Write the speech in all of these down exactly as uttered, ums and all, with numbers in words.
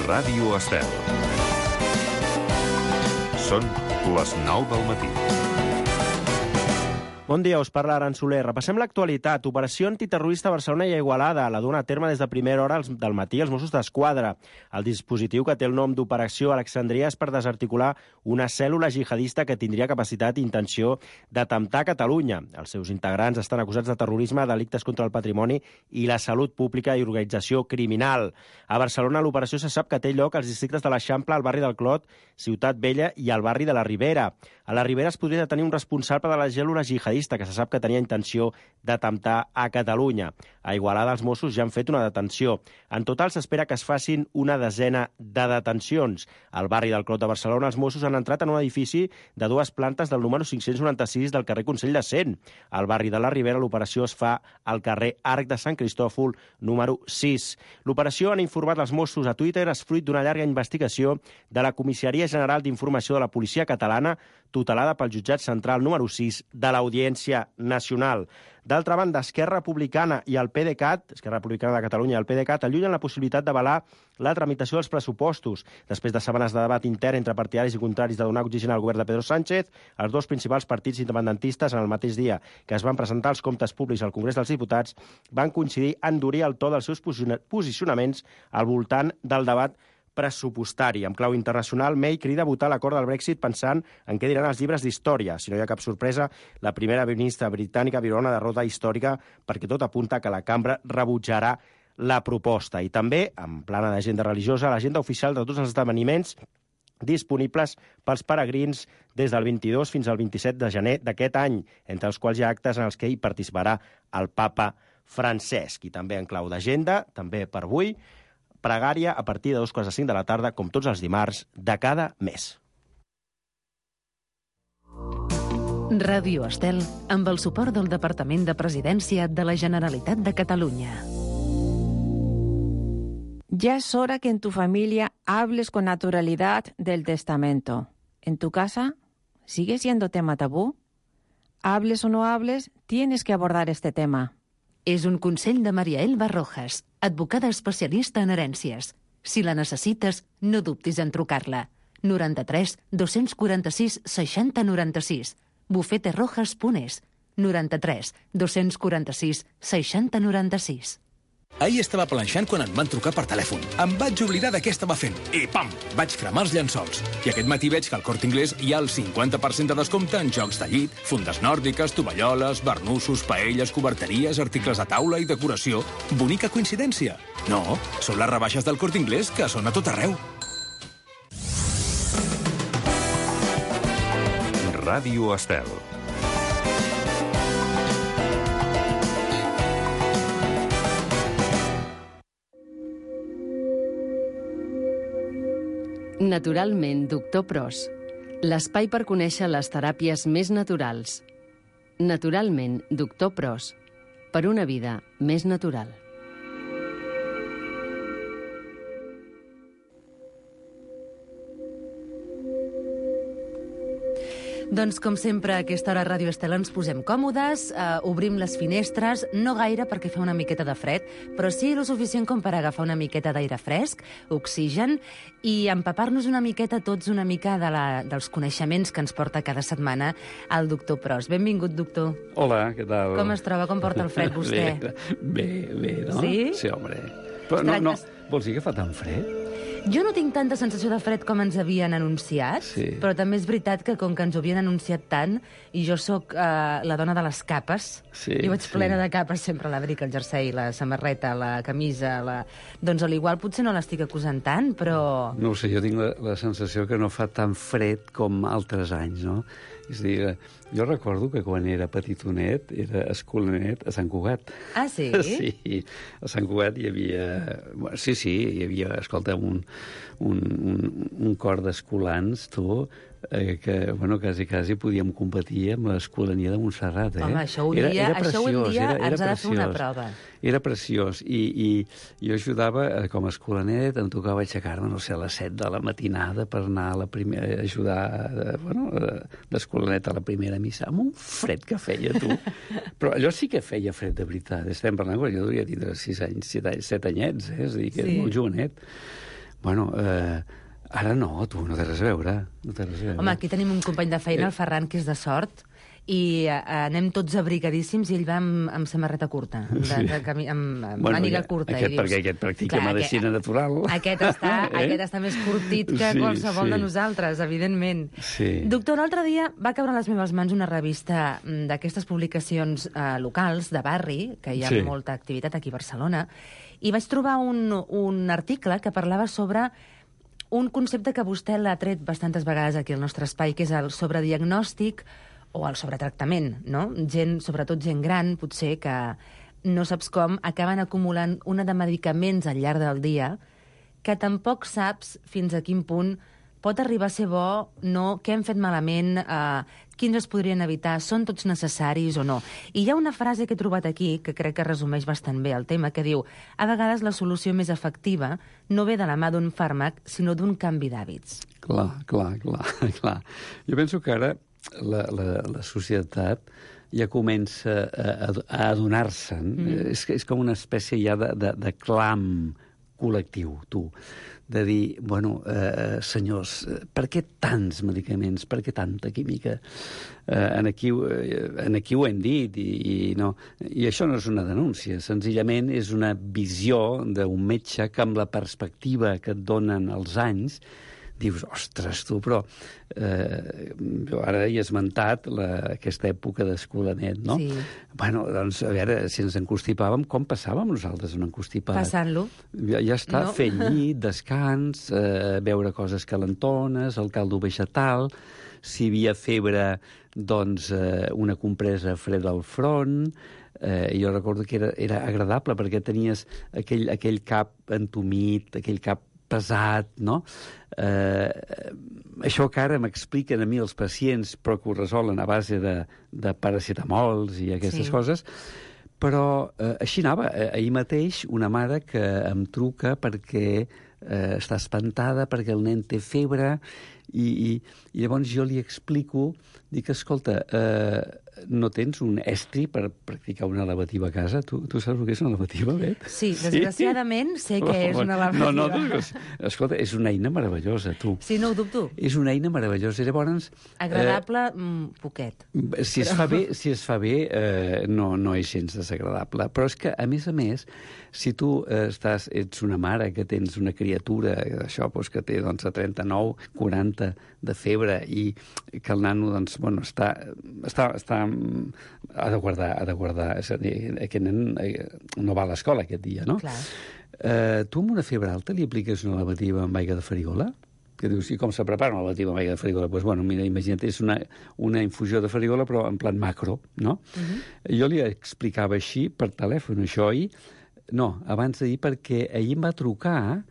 Ràdio Estel. Són les nou del matí. Bon dia, us parla Aran Soler. Repassem l'actualitat. Operació antiterrorista a Barcelona i a Igualada. La duen a terme des de primera hora del matí els Mossos d'Esquadra. El dispositiu, que té el nom d'Operació Alexandria, és per desarticular una cèl·lula jihadista que tindria capacitat i intenció d'atemptar a Catalunya. Els seus integrants estan acusats de terrorisme, delictes contra el patrimoni i la salut pública i organització criminal. A Barcelona l'operació se sap que té lloc als districtes de l'Eixample, al barri del Clot, Ciutat Vella i al barri de la Ribera. A la Ribera es podria detenir un responsable de la cèl·lula jihadista que se sap que tenia intenció d'atemptar a Catalunya. A Igualada els Mossos ja han fet una detenció. En total s'espera que es facin una desena de detencions. Al barri del Clot de Barcelona els Mossos han entrat en un edifici de dues plantes del número cinc-cents noranta-sis del carrer Consell de Cent. Al barri de la Ribera l'operació es fa al carrer Arc de Sant Cristòfol número sis. L'operació, han informat els Mossos a Twitter, és fruit d'una llarga investigació de la Comissaria General d'Informació de la Policia Catalana, tutelada pel jutjat central número sis de l'Audiència Nacional. D'altra banda, Esquerra Republicana i el PDeCAT, Esquerra Republicana de Catalunya i el PDeCAT, allunyen la possibilitat d'avalar la tramitació dels pressupostos. Després de setmanes de debat intern entre partidaris i contraris de donar oxigen al govern de Pedro Sánchez, els dos principals partits independentistes, en el mateix dia que es van presentar els comptes públics al Congrés dels Diputats, van coincidir a endurir el to dels seus posicionaments al voltant del debat pressupostari. En clau internacional, May crida a votar l'acord del Brexit pensant en què diran els llibres d'història. Si no hi ha cap sorpresa, la primera ministra britànica viurà una derrota històrica perquè tot apunta que la cambra rebutjarà la proposta. I també, en plana d'agenda religiosa, l'agenda oficial de tots els esdeveniments disponibles pels peregrins des del vint-i-dos fins al vint-i-set de gener d'aquest any, entre els quals hi ha actes en els que hi participarà el papa Francesc. I també en clau d'agenda, també per avui, pregària a partir de dos quarts de cinc de la tarda, com tots els dimarts de cada mes. Ràdio Estel, amb el suport del Departament de Presidència de la Generalitat de Catalunya. Ya es hora que en tu familia hables con naturalidad del testamento. ¿En tu casa sigue siendo tema tabú? Hables o no hables, tienes que abordar este tema. És un consell de Maria Elba Rojas, advocada especialista en herències. Si la necessites, no dubtis en trucar-la. noranta-tres dos-cents quaranta-sis seixanta noranta-sis. bufete rojas punt es. noranta-tres dos-cents quaranta-sis seixanta noranta-sis. Ahir estava planxant quan em van trucar per telèfon. Em vaig oblidar de què estava fent. I pam! Vaig cremar els llençols. I aquest matí veig que al Corte Inglés hi ha el cinquanta per cent de descompte en jocs de llit, fundes nòrdiques, tovalloles, barnussos, paelles, coberteries, articles de taula i decoració. Bonica coincidència? No, són les rebaixes del Corte Inglés, que són a tot arreu. Ràdio Estel. Naturalment, doctor Pros. L'espai per conèixer les teràpies més naturals. Naturalment, doctor Pros. Per una vida més natural. Doncs, com sempre, a aquesta hora a Ràdio Estel ens posem còmodes, eh, obrim les finestres, no gaire perquè fa una miqueta de fred, però sí el suficient com per agafar una miqueta d'aire fresc, oxigen, i empapar-nos una miqueta tots una mica de la, dels coneixements que ens porta cada setmana el doctor Pros. Benvingut, doctor. Hola, què tal? Com es troba? Com porta el fred vostè? Bé, bé, no? Sí? Sí, home. Però no, no, vols dir que fa tan fred? Jo no tinc tanta sensació de fred com ens havien anunciat, sí. Però també és veritat que com que ens ho havien anunciat tant, i jo sóc uh, la dona de les capes, sí, jo vaig sí. plena de capes, sempre l'abric, el jersei, la samarreta, la camisa, la... doncs a l'igual potser no l'estic acusant tant, però... No ho sé, jo tinc la, la sensació que no fa tan fred com altres anys, no? És a dir, jo recordo que quan era petitonet, era escolanet a Sant Cugat. Ah, sí? Sí, a Sant Cugat hi havia... Sí, sí, hi havia, escolta, un, un, un, un cor d'escolans, tu, eh, que, bueno, quasi, quasi podíem competir amb l'escolania de Montserrat, eh? Home, això un dia, era, era això un dia era, era ens ha de fer una preciós. prova. Era preciós, i, i jo ajudava, eh, com a escolanet, em tocava aixecar-me, no sé, a les set de la matinada per anar a la primera, a ajudar, eh, bueno, d'escolanet a la primera missa, amb un fred que feia, tu. Però allò sí que feia fred, de veritat. Estem parlant quan jo devia tindre sis anys, set, anys, set anyets, eh? És a dir, que sí. Era molt jovenet. Bueno, eh, ara no, tu, no té res a veure. No té res a veure. Home, aquí tenim un company de feina, el Ferran, que és de Sort, i uh, anem tots abrigadíssims i ell va amb, amb samarreta curta, de, Sí. de camí, amb, amb Bueno, màniga ja, curta. aquest i dius, perquè aquest practica clar, medicina aquest- natural. Aquest està, Eh? aquest està més curtit que Sí, qualsevol sí. de nosaltres, evidentment. Sí. Doctor, l'altre dia va caure a les meves mans una revista mm, d'aquestes publicacions eh, locals, de barri, que hi ha Sí. molta activitat aquí a Barcelona, i vaig trobar un, un article que parlava sobre un concepte que vostè l'ha tret bastantes vegades aquí al nostre espai, que és el sobrediagnòstic o el sobretractament, no? Gent, sobretot gent gran, potser, que no saps com, acaben acumulant una de medicaments al llarg del dia que tampoc saps fins a quin punt pot arribar a ser bo, no, què hem fet malament, eh, quins es podrien evitar, són tots necessaris o no. I hi ha una frase que he trobat aquí, que crec que resumeix bastant bé el tema, que diu: a vegades la solució més efectiva no ve de la mà d'un fàrmac, sinó d'un canvi d'hàbits. Clar, clar, clar, clar. Jo penso que ara la, la, la societat ja comença a, a adonar-se'n. Mm. És, és com una espècie ja de, de, de clam col·lectiu, tu, de dir, bueno, eh, senyors, per què tants medicaments, per què tanta química? Eh, en, aquí, eh, en aquí ho hem dit, i, i, no, i això no és una denúncia, senzillament és una visió d'un metge que amb la perspectiva que et donen els anys dius, ostres, tu, però eh, jo ara he esmentat la, aquesta època d'escolanet, no? Sí. Bueno, doncs, a veure, si ens encostipàvem, com passàvem nosaltres un encostipat? Passant-lo. Ja, ja està, No. no. Fer llit, descans, eh, beure coses calentones, el caldo vegetal, si hi havia febre, doncs eh, una compresa freda al front. Eh, jo recordo que era, era agradable perquè tenies aquell, aquell cap entumit, aquell cap pesat, no? Eh, això que ara m'expliquen a mi els pacients, però que ho resolen a base de, de paracetamols i aquestes Sí. coses, però eh, així anava. Eh, ahir mateix una mare que em truca perquè eh, està espantada, perquè el nen té febre, i, i, i llavors jo li explico, dic, escolta, eh, no tens un estri per practicar una lavativa a casa? Tu, tu saps el que és una lavativa, Bet? Sí, desgraciadament sé que és una lavativa. No, no, no, escolta, és una eina meravellosa, tu. Sí, no ho dubto. És una eina meravellosa. I llavors... Agradable, eh, mm, poquet. Si es fa bé, si es fa bé eh, no, no és gens desagradable. Però és que, a més a més, si tu eh, estàs, ets una mare que tens una criatura, això, doncs, que té doncs, a trenta-nou, quaranta de febre, i que el nano doncs, bueno, està, està, està, ha de guardar, ha de guardar, és a dir, aquest nen eh, no va a l'escola aquest dia, no? Clar. Eh, tu amb una febre alta li apliques una lavativa amb aigua de farigola? Que dius, i com se prepara una lavativa amb aigua de farigola? Doncs, bueno, mira, imagina't, és una, una infusió de farigola, però en plan macro, no? Uh -huh. Jo li explicava així per telèfon, això ahir. No, abans d'ahir, perquè ahir em va trucar,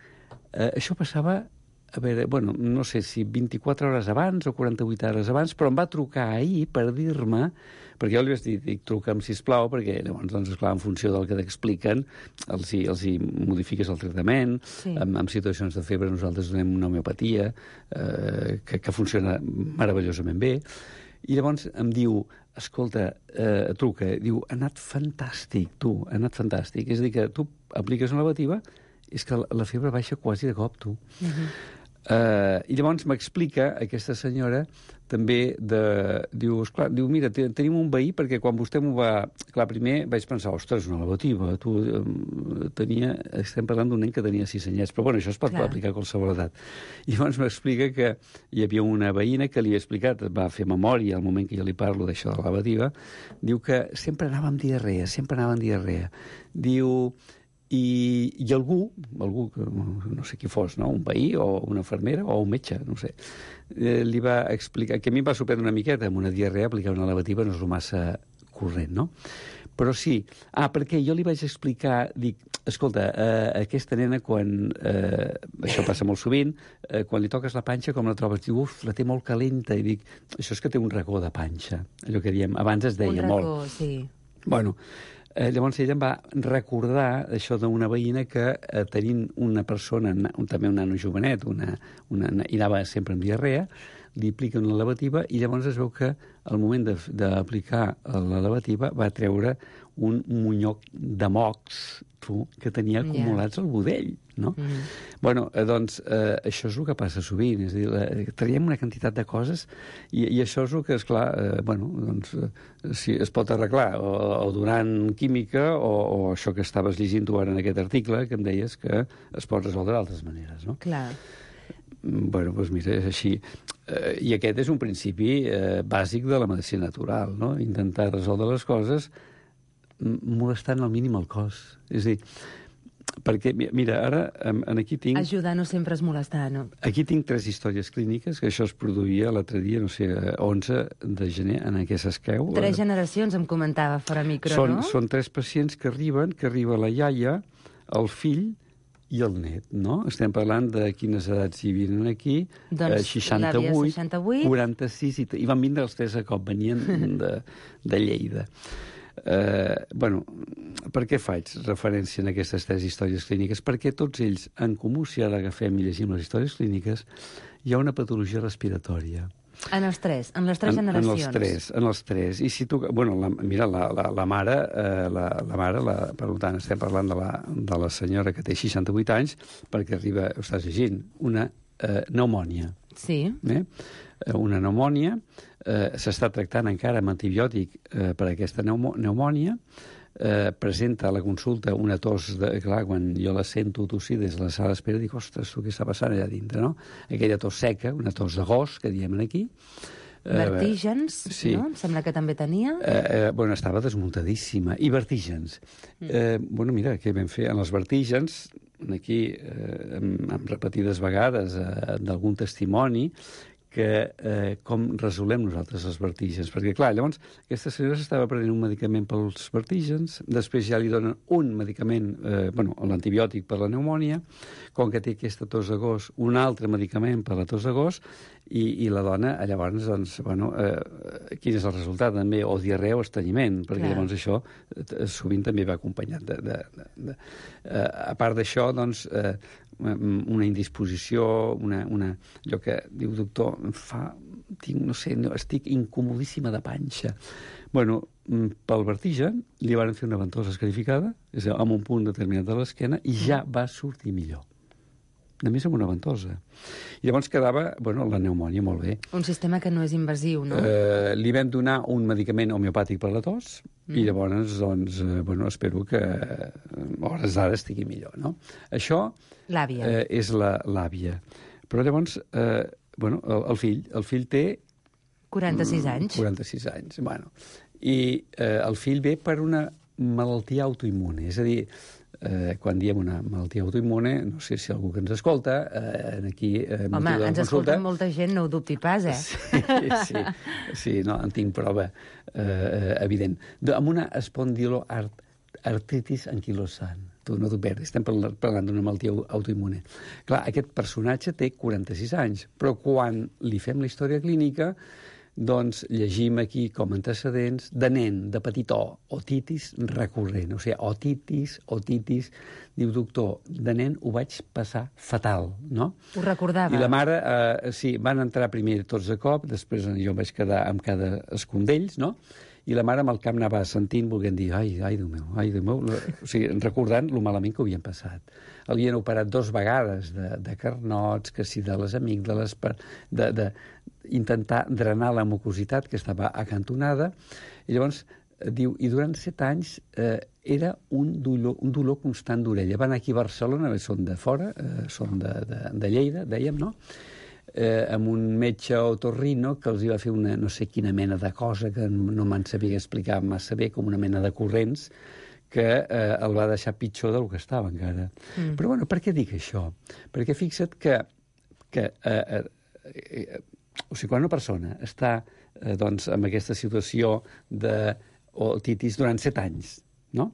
eh, això passava, a veure, bueno, no sé si vint-i-quatre hores abans o quaranta-vuit hores abans, però em va trucar ahir per dir-me, perquè jo li vaig dir, dic, truca'm, sisplau, perquè llavors, doncs, esclar, en funció del que t'expliquen, els, hi, els hi modifiques el tractament, Sí. en, en situacions de febre nosaltres donem una homeopatia eh, que, que funciona meravellosament bé, i llavors em diu, escolta, eh, truca, diu, ha anat fantàstic, tu, ha anat fantàstic. És a dir, que tu apliques una lavativa, és que la, la febre baixa quasi de cop, tu. Uh -huh. Uh, I llavors m'explica aquesta senyora també de... Diu, esclar, diu, mira, tenim un veí perquè quan vostè m'ho va... Clar, primer vaig pensar, ostres, una lavativa. Tu, um, tenia... Estem parlant d'un nen que tenia sis anyets, però bueno, això es pot Clar. aplicar a qualsevol edat. I llavors m'explica que hi havia una veïna que li ha explicat, va fer memòria al moment que jo li parlo d'això de la lavativa, diu que sempre anava amb diarrea, sempre anava amb diarrea. Diu... I, i algú, algú, no sé qui fos, no? Un veí o una infermera o un metge, no sé, eh, li va explicar, que a mi em va sorprendre una miqueta, amb una diarrea aplicar una lavativa no és el massa corrent, no? Però sí, ah, perquè jo li vaig explicar, dic, escolta, eh, aquesta nena quan, eh, això passa molt sovint, eh, quan li toques la panxa, com la trobes? Diu, uf, la té molt calenta, i dic, això és que té un racó de panxa, allò que diem, abans es deia un molt. racó, sí. Bueno, Eh, llavors ella em va recordar això d'una veïna que eh, tenint una persona, un, també un nano jovenet, una, una, i anava sempre amb diarrea, li apliquen la lavativa i llavors es veu que al moment d'aplicar la lavativa va treure un monyoc de mocs grafo que tenia acumulats yeah. al budell, no? Mm -hmm. Bueno, eh, doncs, eh, això és el que passa sovint, és a dir, eh, traiem una quantitat de coses i, i això és el que, esclar, eh, bueno, doncs, eh, si es pot arreglar o, o donant química o, o això que estaves llegint tu ara en aquest article, que em deies que es pot resoldre d'altres maneres, no? Clar. Bueno, doncs mira, és així. Eh, I aquest és un principi eh, bàsic de la medicina natural, no? Intentar resoldre les coses molestant al mínim el cos. És a dir, perquè, mira, ara en aquí tinc... Ajudar no sempre és molestar, no? Aquí tinc tres històries clíniques, que això es produïa l'altre dia, no sé, onze de gener, en què s'esqueu. Tres generacions, em comentava fora micro, són, no? Són tres pacients que arriben, que arriba la iaia, el fill i el net, no? Estem parlant de quines edats hi vinen aquí. Doncs eh, seixanta-vuit, seixanta-vuit, quaranta-sis, i, i van vindre els tres a cop, venien de, de Lleida. Eh, bueno, per què faig referència en aquestes tres històries clíniques? Perquè tots ells, en comú, si ara agafem i llegim les històries clíniques, hi ha una patologia respiratòria. En els tres, en les tres en, generacions. En els tres, en els tres. I si tu... Bueno, la, mira, la, la, la mare, eh, la, la mare la, per tant, estem parlant de la, de la senyora que té seixanta-vuit anys, perquè arriba, ho estàs llegint, una eh, pneumònia. Sí. Eh? Una pneumònia, eh, s'està tractant encara amb antibiòtic eh, per aquesta pneumònia, eh, presenta a la consulta una tos, de, clar, quan jo la sento tossir des de la sala d'espera, dic, ostres, tu què està passant allà dintre, no? Aquella tos seca, una tos de gos, que diem aquí. Vertígens, eh, sí. no? Em sembla que també tenia. Eh, eh, bueno, estava desmuntadíssima. I vertígens. Mm. Eh, bueno, mira, què vam fer? En els vertígens, aquí, eh, amb, amb repetides vegades, eh, d'algun testimoni, que eh, com resolem nosaltres els vertígens. Perquè, clar, llavors, aquesta senyora s'estava prenent un medicament pels vertígens, després ja li donen un medicament, eh, bueno, l'antibiòtic per la pneumònia, com que té aquesta tos de gos, un altre medicament per la tos de gos, i, i la dona, llavors, doncs, bueno, eh, quin és el resultat? També, o diarrea o estrenyiment, perquè clar. Llavors això eh, sovint també va acompanyat de... de, de, de eh, a part d'això, doncs, eh, una indisposició, una, una, allò que diu doctor, em fa, tinc, no sé, no, estic incomodíssima de panxa. Bueno, pel vertigen li van fer una ventosa escarificada, és a dir, amb un punt determinat de l'esquena, i ja va sortir millor. A més, amb una ventosa. I llavors quedava, bueno, la pneumònia molt bé. Un sistema que no és invasiu, no? Eh, li vam donar un medicament homeopàtic per la tos, mm. i llavors, doncs, eh, bueno, espero que a hores d'ara estigui millor, no? Això l'àvia. Eh, és l'àvia. Però llavors, eh, bueno, el, el fill, el fill té... quaranta-sis anys. quaranta-sis anys, bueno. I eh, el fill ve per una malaltia autoimmune, és a dir, Eh, quan diem una malaltia autoimmune, no sé si algú que ens escolta, eh, aquí... Eh, Home, ens escolta molta gent, no ho dubti pas, eh? Sí, sí, sí, no, en tinc prova eh, evident. De, amb una espondiloartritis anquilosant. Tu no t'ho perdis, estem parlant d'una malaltia autoimmune. Clar, aquest personatge té quaranta-sis anys, però quan li fem la història clínica, doncs llegim aquí com antecedents de nen, de petitó, otitis recurrent. O sigui, otitis, otitis, diu doctor, de nen ho vaig passar fatal, no? Ho recordava. I la mare, eh, sí, van entrar primer tots de cop, després jo em vaig quedar amb cada escondells, no? I la mare amb el cap anava sentint, volent dir, ai, ai, Déu meu, ai, Déu meu, o sigui, recordant lo malament que ho havien passat. L'havien operat dos vegades de, de carnots, que si de les amígdales, per, de, de intentar drenar la mucositat que estava acantonada, i llavors diu, i durant set anys eh, era un dolor, un dolor constant d'orella. Van aquí a Barcelona, són de fora, eh, són de, de, de Lleida, dèiem, no?, eh, amb un metge otorrino que els hi va fer una no sé quina mena de cosa que no me'n sabia explicar massa bé, com una mena de corrents, que eh, el va deixar pitjor del que estava encara. Mm. Però, bueno, per què dic això? Perquè fixa't que, que eh, eh, o sigui, quan una persona està eh, doncs, en aquesta situació d'otitis durant set anys, no?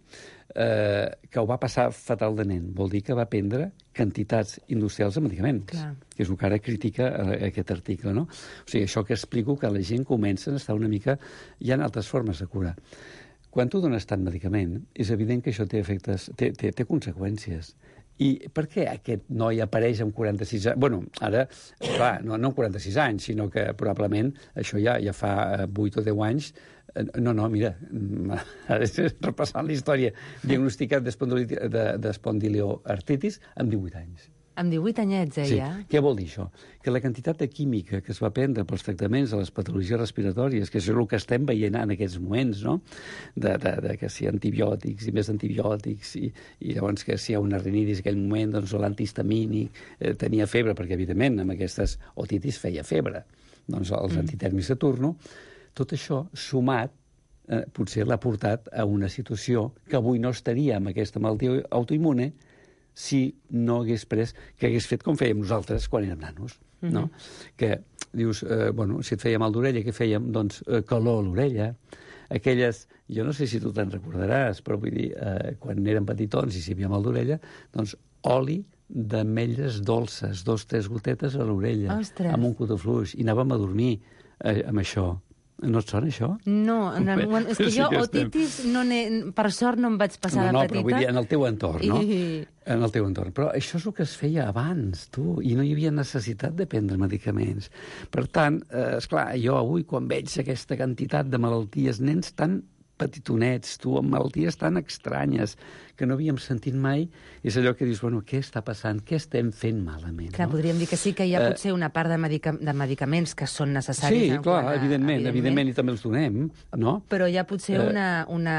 Eh, que ho va passar fatal de nen, vol dir que va prendre quantitats industrials de medicaments, clar, que és el que ara critica aquest article, no? O sigui, això que explico, que la gent comença a estar una mica... Hi ha altres formes de curar. Quan tu dones tant medicament, és evident que això té efectes, té, té, té conseqüències. I per què aquest noi apareix amb quaranta-sis anys? Bueno, ara, clar, no, no amb quaranta-sis anys, sinó que probablement això ja, ja fa vuit o deu anys No, no, mira, repassant la història, diagnosticat d'espondilioartritis amb divuit anys. Amb divuit anyets, eh, sí. ja? Què vol dir això? Que la quantitat de química que es va prendre pels tractaments de les patologies respiratòries, que és el que estem veient en aquests moments, no? De, de, de que si antibiòtics i més antibiòtics, i, i llavors que si hi ha una rinitis en aquell moment, doncs l'antihistamínic eh, tenia febre, perquè evidentment amb aquestes otitis feia febre. Doncs els mm. antitèrmics de turno, tot això sumat, eh, potser l'ha portat a una situació que avui no estaria amb aquesta malaltia autoimmune si no hagués pres, que hagués fet com fèiem nosaltres quan érem nanos, no? Mm-hmm. Que dius, eh, bueno, si et feia mal d'orella, què fèiem? Doncs eh, calor a l'orella, aquelles, jo no sé si tu te'n recordaràs, però vull dir, eh, quan érem petitons i si hi havia mal d'orella, doncs oli d'ametlles dolces, dos, tres gotetes a l'orella, amb un cotofluix, i anàvem a dormir eh, amb això. No et sona, això? No, en el moment... és que sí jo que otitis, no per sort, no em vaig passar no, de no, petita. No, però vull dir, en el teu entorn, no? I... En el teu entorn. Però això és el que es feia abans, tu, i no hi havia necessitat de prendre medicaments. Per tant, eh, esclar, jo avui, quan veig aquesta quantitat de malalties, nens tan petitonets, tu, amb malalties tan estranyes que no havíem sentit mai, és allò que dius, bueno, què està passant? Què estem fent malament? Clar, no? podríem dir que sí que hi ha potser una part de, medica de medicaments que són necessaris. Sí, clar, a, evidentment, evidentment, evidentment, i també els donem, no? Però hi ha potser uh, una... una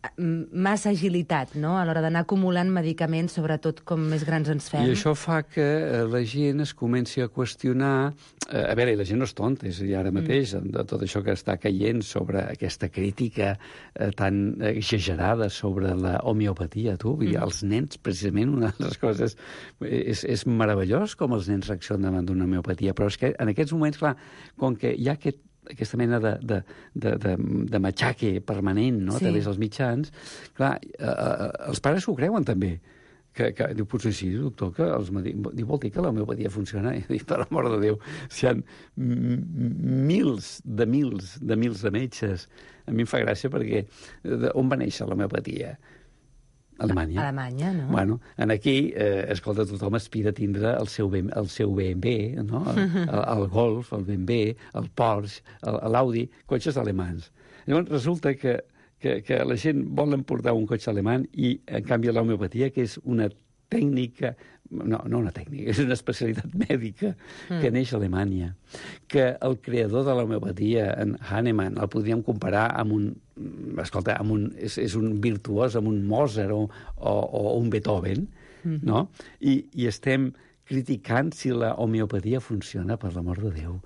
massa agilitat, no?, a l'hora d'anar acumulant medicaments, sobretot com més grans ens fem. I això fa que la gent es comenci a qüestionar... Eh, a veure, la gent no és tonta, és a dir, ara mateix, mm. de tot això que està caient sobre aquesta crítica eh, tan exagerada sobre la homeopatia, tu, vull dir, mm. els nens, precisament, una de les coses... És, és meravellós com els nens reaccionen davant d'una homeopatia, però és que en aquests moments, clar, com que hi ha aquest aquesta mena de, de, de, de, de matxaque permanent, no?, sí. a través dels mitjans, clar, eh, eh, els pares s'ho creuen també. Que, que diu, potser sí, doctor, que els diu, vol dir que la homeopatia funciona? I dic, per l'amor de Déu, si hi ha mils de mils de mils de metges, a mi em fa gràcia perquè de, on va néixer l'homeopatia? Alemanya. Alemanya, no? Bueno, en aquí, eh, escolta, tothom aspira a tindre el seu, ben, el seu B M W, no? El, el, el Golf, el B M W, el Porsche, l'Audi, cotxes alemans. Llavors, resulta que, que, que la gent vol emportar un cotxe alemany i, en canvi, l'homeopatia, que és una tècnica, no, no una tècnica, és una especialitat mèdica mm. que neix a Alemanya, que el creador de l'homeopatia, en Hahnemann, el podríem comparar amb un, escolta, amb un, és, és un virtuós, amb un Mozart o, o, o un Beethoven, mm. no? I, I estem criticant si la homeopatia funciona, per l'amor de Déu.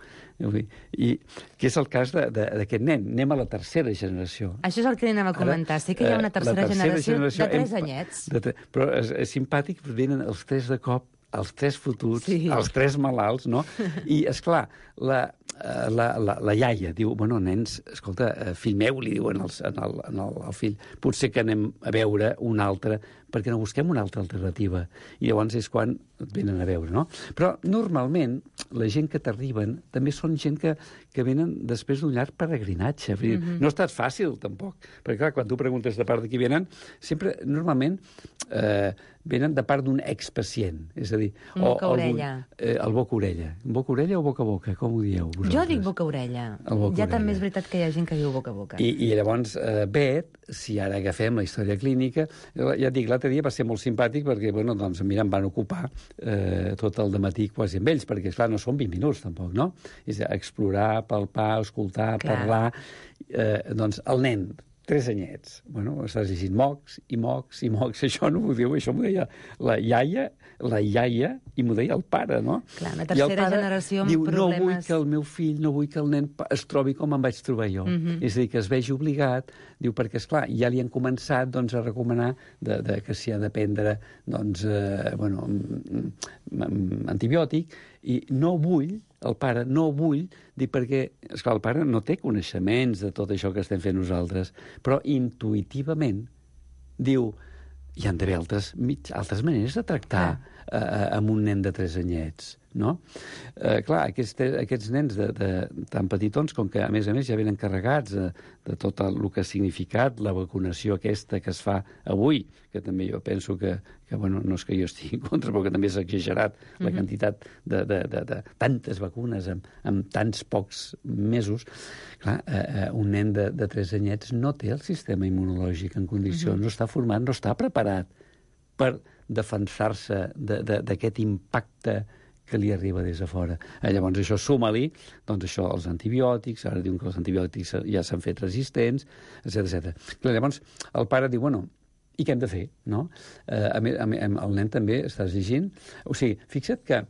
I que és el cas d'aquest nen. Anem a la tercera generació. Això és el que anem a comentar. Ara, sí que hi ha una tercera, tercera generació, generació de tres hem, anyets. De tre... Però és, és simpàtic, venen els tres de cop, els tres fotuts, sí. els tres malalts, no? I, esclar, la, la, la, la iaia diu, bueno, nens, escolta, fill meu, li diuen el, en el, en el, el fill, potser que anem a veure un altre, perquè no busquem una altra alternativa. I llavors és quan et venen a veure, no? Però, normalment, la gent que t'arriben també són gent que, que venen després d'un llarg peregrinatge. Mm-hmm. No ha estat fàcil, tampoc. Perquè, clar, quan tu preguntes de part de qui venen, sempre, normalment, eh, venen de part d'un expacient. És a dir... Boca-orella. Eh, el boca-orella. Boca-orella o boca-boca? Com ho dieu vosaltres? Jo dic boca-orella. Boca ja també és veritat que hi ha gent que diu boca-boca. I, I llavors, eh, Bet, si ara agafem la història clínica, ja et dic, l'altre dia va ser molt simpàtic perquè, bueno, doncs, mira, em van ocupar eh, tot el dematí quasi amb ells, perquè, esclar, no són vint minuts, tampoc, no? És explorar, palpar, escoltar, clar. Parlar... Eh, doncs, el nen, tres anyets, bueno, estàs llegint mocs i mocs i mocs, això no m'ho diu, això m'ho deia la iaia, la iaia, i m'ho deia el pare, no? Clar, una tercera generació amb diu, problemes... no vull que el meu fill, no vull que el nen es trobi com em vaig trobar jo. Mm-hmm. És a dir, que es vegi obligat, diu, perquè, esclar, ja li han començat doncs, a recomanar de, de, que s'hi ha de prendre doncs, eh, bueno, antibiòtic, i no vull, el pare, no vull, dir perquè, esclar, el pare no té coneixements de tot això que estem fent nosaltres, però intuïtivament diu, hi han d'haver altres, mig, altres maneres de tractar ah. eh, amb un nen de tres anyets, no? Eh, clar, aquests, aquests nens de, de, tan petitons, com que a més a més ja venen carregats de, de tot el que ha significat la vacunació aquesta que es fa avui, que també jo penso que, que bueno, no és que jo estigui en contra, però que també s'ha exagerat mm-hmm. la quantitat de, de, de, de tantes vacunes en, en tants pocs mesos. Clar, eh, un nen de, de tres anyets no té el sistema immunològic en condicions, mm-hmm. no està format, no està preparat per defensar-se d'aquest impacte que li arriba des de fora. Eh, llavors, això suma-li, doncs això, els antibiòtics, ara diuen que els antibiòtics ja s'han fet resistents, etcètera etcètera. Clar, llavors, el pare diu, bueno, i què hem de fer, no? Eh, a mi, a mi, el nen també estàs llegint. O sigui, fixa't que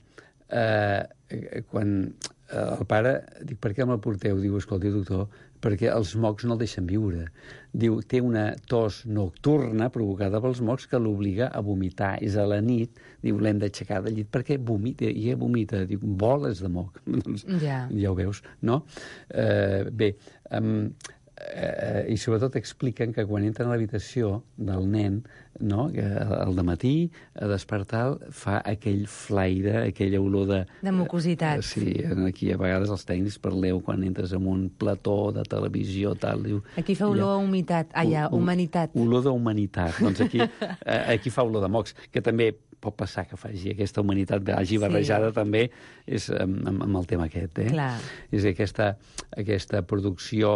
eh, quan eh, el pare, dic, per què me'l porteu? Diu, escolti, doctor, perquè els mocs no el deixen viure. Diu, té una tos nocturna provocada pels mocs que l'obliga a vomitar. És a la nit, diu, l'hem d'aixecar del llit perquè vomita, i ella vomita. Diu, boles de moc. Doncs, ja. ja ho veus, no? Eh, bé, um, eh, i sobretot expliquen que quan entren a l'habitació del nen, no, que al dematí, a despertar, fa aquell flaire, aquella olor de... De mucositat. Eh, sí, aquí a vegades els tècnics parleu quan entres en un plató de televisió, tal, diu... Aquí fa olor a humitat, ah, ja, humanitat. Olor d'humanitat. Doncs aquí, eh, aquí fa olor de mocs, que també pot passar que faci aquesta humanitat, hagi barrejada sí. també és amb, amb el tema aquest. Eh? Clar. És aquesta, aquesta producció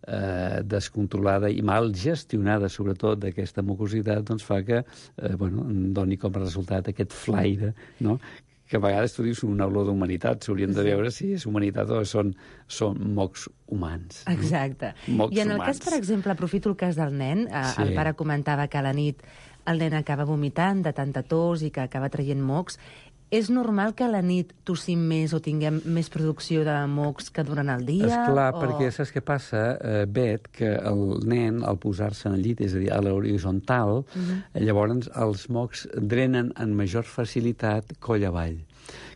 eh, descontrolada i mal gestionada, sobretot, d'aquesta mucositat, doncs fa que eh, bueno, doni com a resultat aquest flaire, no? Que a vegades tu dius una olor d'humanitat, s'haurien de veure si és humanitat o són, són mocs humans. No? Exacte. Mocs I en el humans. cas, per exemple, aprofito el cas del nen, eh, sí. el pare comentava que a la nit el nen acaba vomitant de tanta tos i que acaba traient mocs. És normal que a la nit tossim més o tinguem més producció de mocs que durant el dia? Esclar, o... perquè saps què passa, eh, Bet, que el nen, al posar-se en el llit, és a dir, a l'horitzontal, uh-huh. llavors els mocs drenen amb major facilitat coll avall.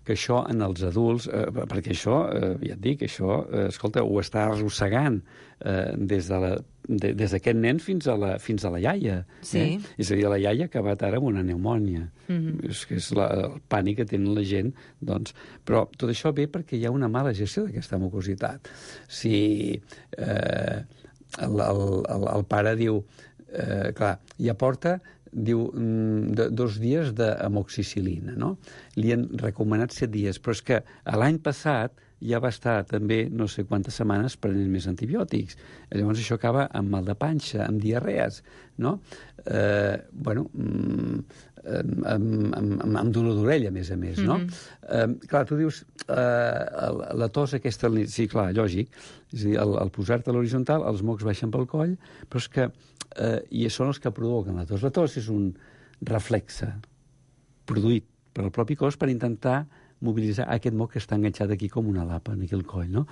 Que això en els adults, eh, perquè això, eh, ja et dic, això, eh, escolta, ho està arrossegant eh, des de la, de, des d'aquest nen fins a la, fins a la iaia. Sí. Eh? És a dir, la iaia ha acabat ara amb una pneumònia. Mm-hmm. És que és la, el pànic que tenen la gent. Doncs, però tot això ve perquè hi ha una mala gestió d'aquesta mucositat. Si eh, el, el, el, el pare diu, eh, clar, ja porta diu, de, dos dies d'amoxicil·lina, no? Li han recomanat set dies, però és que l'any passat ja va estar també no sé quantes setmanes prenent més antibiòtics. Llavors això acaba amb mal de panxa, amb diarrees, no? Eh, bueno, amb, amb, amb, amb dolor d'orella, a més a més, no? Mm-hmm. Eh, clar, tu dius, eh, la tos aquesta, sí, clar, lògic, és a dir, al, al posar-te a l'horitzontal, els mocs baixen pel coll, però és que eh, i són els que provoquen la tos. La tos és un reflexe produït per el propi cos per intentar mobilitzar aquest moc que està enganxat aquí com una lapa, aquí al coll, no?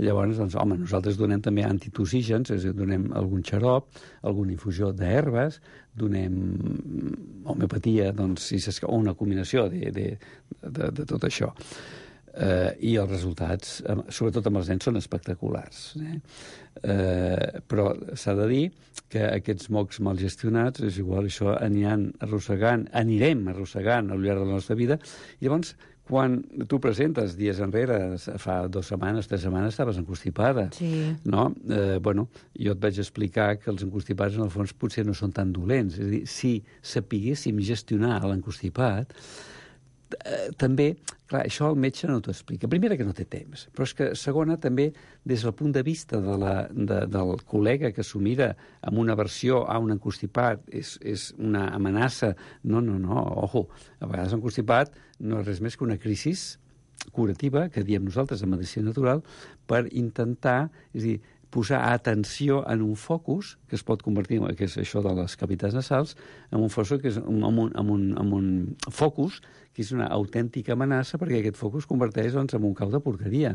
Llavors, doncs, home, nosaltres donem també antitosígens, és a dir, donem algun xarop, alguna infusió d'herbes, donem homeopatia, doncs, si o una combinació de, de, de, de tot això. Eh, I els resultats, sobretot amb els nens, són espectaculars. Eh? Eh, però s'ha de dir que aquests mocs mal gestionats, és igual, això aniran arrossegant, anirem arrossegant al llarg de la nostra vida, i llavors quan tu presentes dies enrere, fa dues setmanes, tres setmanes, estaves encostipada. Sí. No? Eh, bueno, jo et vaig explicar que els encostipats, en el fons, potser no són tan dolents. És a dir, si sapiguéssim gestionar l'encostipat, eh, també, clar, això el metge no t'ho explica. Primera, que no té temps, però és que, segona, també, des del punt de vista de la, de, del col·lega que s'ho mira amb una versió a un encostipat, és, és una amenaça. No, no, no, ojo, a vegades l'encostipat no és res més que una crisi curativa, que diem nosaltres en medicina natural, per intentar, és a dir, posar atenció en un focus, que es pot convertir, que és això de les cavitats nasals, en un focus que és un, en un, en un, en un focus que és una autèntica amenaça, perquè aquest focus es converteix, doncs, en un cau de porqueria.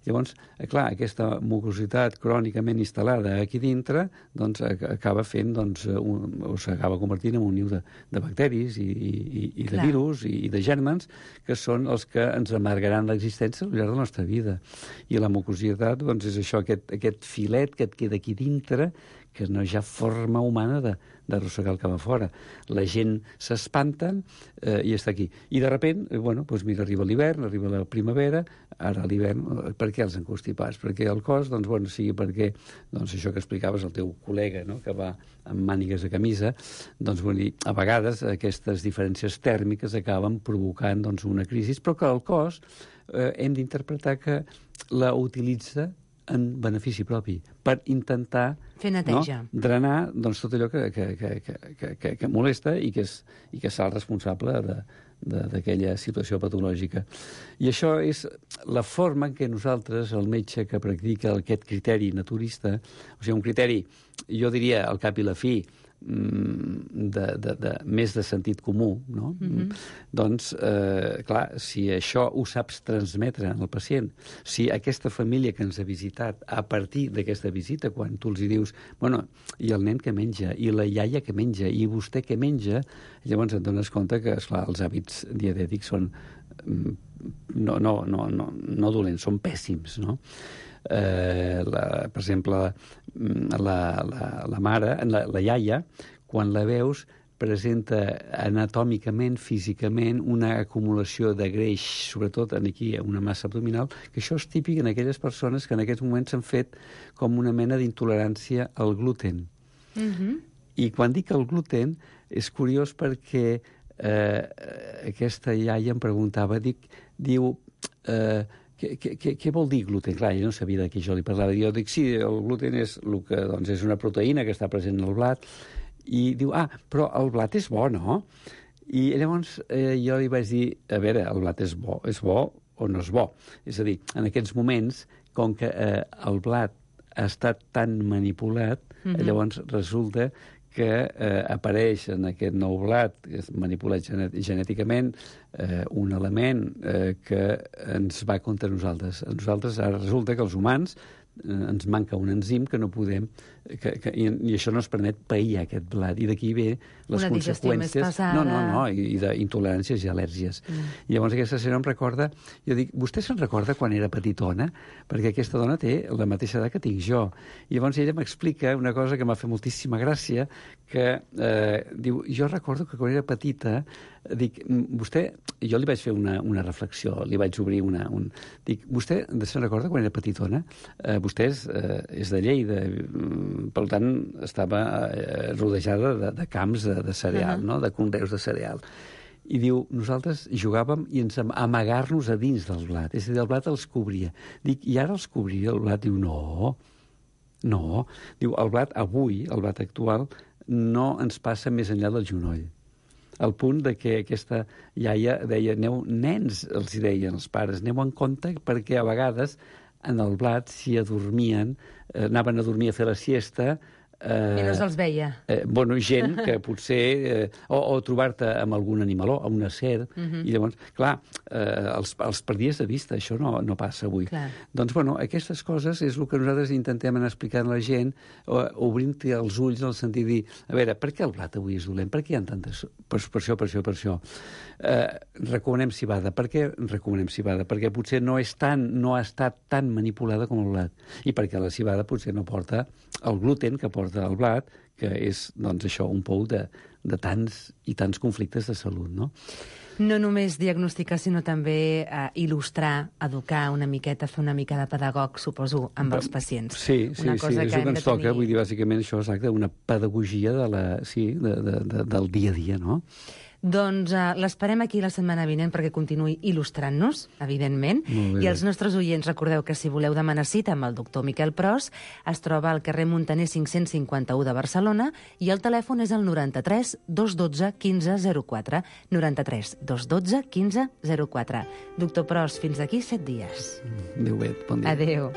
Llavors, clar, aquesta mucositat crònicament instal·lada aquí dintre, doncs, acaba fent, doncs, un, o s'acaba convertint en un niu de, de bacteris i, i, i de clar. virus i, i de gèrmens, que són els que ens amargaran l'existència al llarg de la nostra vida. I la mucositat, doncs, és això, aquest, aquest filet que et queda aquí dintre, que no hi ha forma humana de, d'arrossegar el cap a fora. La gent s'espanten eh, i està aquí. I de repent, eh, bueno, doncs mira, arriba l'hivern, arriba la primavera, ara l'hivern, eh, per què els encostipats? Perquè el cos, doncs, bueno, sigui perquè, doncs, això que explicaves el teu col·lega, no?, que va amb mànigues de camisa, doncs, vull dir, a vegades aquestes diferències tèrmiques acaben provocant, doncs, una crisi, però que el cos eh, hem d'interpretar que la utilitza en benefici propi, per intentar fer neteja, no? drenar doncs, tot allò que, que, que, que, que, que molesta i que és, i que és el responsable d'aquella situació patològica. I això és la forma en què nosaltres, el metge que practica aquest criteri naturista, o sigui, un criteri, jo diria, al cap i la fi, de, de, de, més de sentit comú, no? Mm-hmm. Doncs, eh, clar, si això ho saps transmetre al pacient, si aquesta família que ens ha visitat, a partir d'aquesta visita, quan tu els hi dius, bueno, i el nen que menja, i la iaia que menja, i vostè que menja, llavors et dones compte que, esclar, els hàbits dietètics són no, no, no, no, no dolents, són pèssims, no? Eh, la, per exemple, la, la, la mare, la, la iaia, quan la veus, presenta anatòmicament, físicament, una acumulació de greix, sobretot aquí, una massa abdominal, que això és típic en aquelles persones que en aquests moments s'han fet com una mena d'intolerància al gluten. Mm-hmm. I quan dic el gluten, és curiós perquè eh, aquesta iaia em preguntava, dic, diu... Eh, Què, què, què vol dir gluten? Clar, ella no sabia de què jo li parlava. Jo dic, sí, el gluten és, el que, doncs, és una proteïna que està present en el blat. I diu, ah, però el blat és bo, no? I llavors eh, jo li vaig dir, a veure, el blat és bo, és bo o no és bo? És a dir, en aquests moments, com que eh, el blat ha estat tan manipulat, mm-hmm. llavors resulta que eh, apareix en aquest nou blat, que és manipulat genet genèticament, eh, un element eh, que ens va contra nosaltres. A nosaltres ara resulta que els humans eh, ens manca un enzim que no podem... Que, que, i, I això no ens permet pair aquest blat. I d'aquí ve les una conseqüències... Més pesada. No, no, no, i, i d'intoleràncies i al·lèrgies. Mm. I llavors aquesta senyora em recorda... Jo dic, vostè se'n recorda quan era petitona? Perquè aquesta dona té la mateixa edat que tinc jo. I llavors ella m'explica una cosa que m'ha fet moltíssima gràcia, que eh, diu, jo recordo que quan era petita, dic, vostè... Jo li vaig fer una, una reflexió, li vaig obrir una... Un, dic, vostè se'n recorda quan era petitona? Eh, vostè és, eh, és de Lleida, per tant, estava eh, rodejada de, de camps de, de cereal, uh-huh. no? De conreus de cereal. I diu, nosaltres jugàvem i ens amagar-nos a dins del blat. És a dir, el blat els cobria. Dic, i ara els cobria el blat? Diu, no, no. Diu, el blat avui, el blat actual, no ens passa més enllà del genoll. Al punt de que aquesta iaia deia, aneu, nens, els deien els pares, aneu en compte perquè a vegades en el blat s'hi adormien, eh, anaven a dormir a fer la siesta... Eh, I no se'ls veia. Eh, bueno, gent que potser... Eh, o, o trobar-te amb algun animaló, amb una serp, uh-huh. i llavors, clar, eh, els, els perdies de vista, això no, no passa avui. Clar. Doncs, bueno, aquestes coses és el que nosaltres intentem anar explicant a la gent, obrint-te els ulls en el sentit de dir, a veure, per què el blat avui és dolent? Per què hi ha tantes... Per, per això, per això, per això. Eh, recomanem civada. Per què recomanem civada? Perquè potser no és tan, no ha estat tan manipulada com el blat. I perquè la civada potser no porta el gluten que porta del blat, que és, doncs, això, un pou de, de tants i tants conflictes de salut, no? No només diagnosticar, sinó també eh, il·lustrar, educar una miqueta, fer una mica de pedagog, suposo, amb els pacients. Sí, sí, una sí, és el que ens toca, tenir... vull dir, bàsicament això, exacte, una pedagogia de la, sí, de, de, de, del dia a dia, no? Doncs uh, l'esperem aquí la setmana vinent perquè continuï il·lustrant-nos, evidentment. I els nostres oients, recordeu que si voleu demanar cita amb el doctor Miquel Pros, es troba al carrer Muntaner cinc-cents cinquanta-u de Barcelona i el telèfon és el noranta-tres dos dotze quinze zero quatre. noranta-tres dos dotze quinze zero quatre. Doctor Pros, fins d'aquí set dies. Adéu, bé, bon dia. Adéu.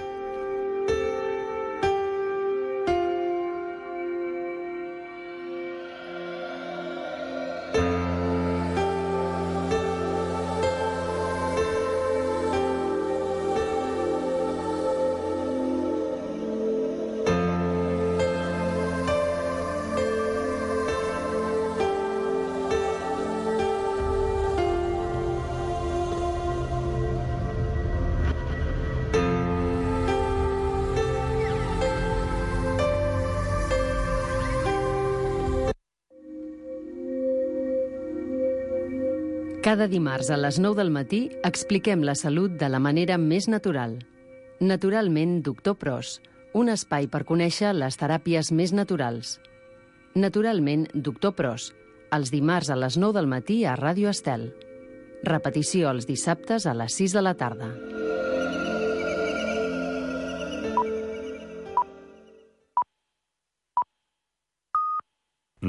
Cada dimarts a les nou del matí expliquem la salut de la manera més natural. Naturalment, doctor Pros, un espai per conèixer les teràpies més naturals. Naturalment, doctor Pros, els dimarts a les nou del matí a Ràdio Estel. Repetició els dissabtes a les sis de la tarda.